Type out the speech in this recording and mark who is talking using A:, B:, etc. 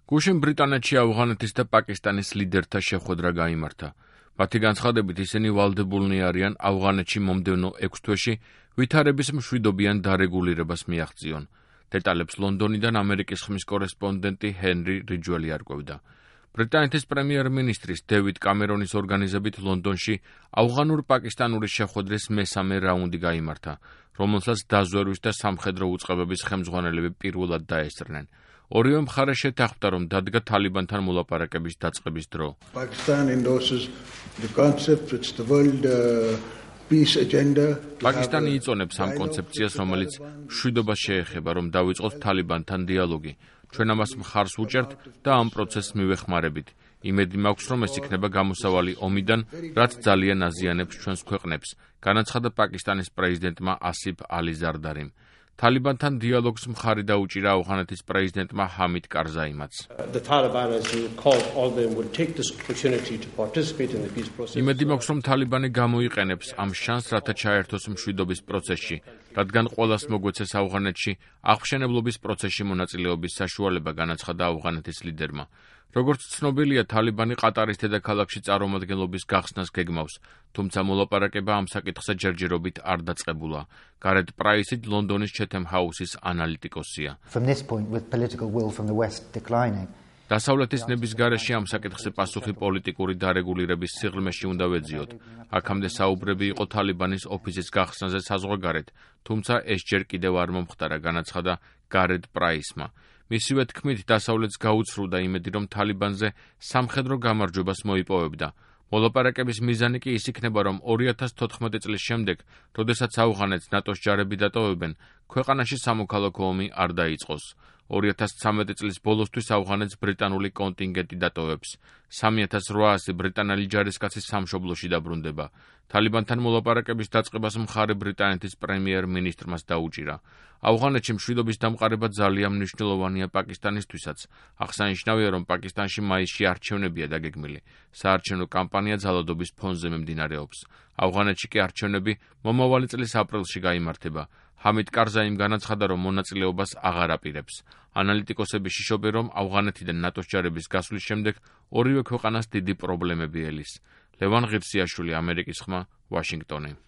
A: გუშინ ბრიტანეთში ავღანეთის და პაკისტანის ლიდერთა შეხვედრა გაიმართა. მათი განცხადებით ისინი ვალდებულნი არიან ავღანეთში მომდევნო 6 თვეში ვითარების მშვიდობიან დარეგულირებას მიაღწიონ. დეტალებს ლონდონიდან ამერიკის ხმის კორესპონდენტი ჰენრი რიჯველი არკვევდა. ბრიტანეთის პრემიერ-მინისტრის დევიდ კამერონის ორგანიზებით ლონდონში ავღანურ-პაკისტანური შეხვედრის მესამე რაუნდი გაიმართა, რომელსაც დაზვერვის და სამხედრო უწყებების ხელმძღვანელები პირველად დაესწრნენ. ორივე მხარე შეთანხმდა, რომ დადგა თალიბანთან მოლაპარაკების დაწყების დრო. პაკისტანი იწონებს ამ კონცეფციას, რომელიც მშვიდობას შეეხება, რომ დავიწყოთ თალიბანთან დიალოგი. ჩვენ ამას მხარს ვუჭერთ და ამ პროცესს მივეხმარებით. იმედი მაქვს, რომ ეს იქნება გამოსავალი ომიდან, რაც ძალიან აზიანებს ჩვენს ქვეყნებს, განაცხადა პაკისტანის პრეზიდენტმა ასიფ ალი ზარდარიმ. თალიბანთან დიალოგს მხარი დაუჭირა ავღანეთის პრეზიდენტმა ჰამიდ კარზაიმაც. იმედი მაქვს, რომ თალიბანი გამოიყენებს ამ შანსს, რათა ჩაერთოს მშვიდობის პროცესში, რადგან ყველას მოგვეცეს ავღანეთში აღმშენებლობის პროცესში მონაწილეობის საშუალება, განაცხადა ავღანეთის ლიდერმა. როგორც ცნობილია, თალიბანი ყატარის დედაქალაქში წარმომადგენლობის გახსნას გეგმავს, თუმცა მოლაპარაკება ამ საკითხზე ჯერჯერობით არ დაწყებულა. გარეთ პრაისი ლონდონის ჩეთემ ჰაუსის ანალიტიკოსია. დასავლეთის ნების გარეშე ამ საკითხზე პასუხი პოლიტიკური დარეგულირების სიღრმეში უნდა ვეძიოთ. აქამდე საუბრები იყო თალიბანის ოფისის გახსნაზე საზღვარგარეთ, თუმცა ეს ჯერ კიდევ არ მომხდარა, განაცხადა გარეთ პრაისმა. მისივე თქმით, დასავლეთს გაუცრუდა იმედი, რომ თალიბანზე სამხედრო გამარჯვებას მოიპოვებდა. მოლაპარაკების მიზანი კი ის იქნება, რომ 2014 წლის შემდეგ, როდესაც ავღანეთს ნატოს ჯარები დატოვებენ, ქვეყანაში სამოქალაქო ომი არ დაიწყოს. 2013 წლის ბოლოსთვის ავღანეთს ბრიტანული კონტინგენტი დატოვებს. 3800 ბრიტანელი ჯარისკაცი სამშობლოში დაბრუნდება. თალიბანთან მოლაპარაკების დაწყებას მხარი ბრიტანეთის პრემიერ-მინისტრმაც დაუჭირა. ავღანეთში მშვიდობის დამყარება ძალიან მნიშვნელოვანია პაკისტანისთვისაც. აღსანიშნავია, რომ პაკისტანში მაისში არჩევნებია დაგეგმილი. საარჩევნო კამპანია ძალადობის ფონზე მიმდინარეობს. ავღანეთში კი არჩევნები მომავალი წლის აპრილში გაიმართება. ჰამიდ კარზაიმ განაცხადა, რომ მონაწილეობას აღარ აპირებს. ანალიტიკოსები შიშობენ, რომ ავღანეთიდან ნატოს ჯარების გასვლის შემდეგ ორივე ქვეყანას დიდი პრობლემები ელის. ლევან ღირსიაშვილი, ამერიკის ხმა, ვაშინგტონი.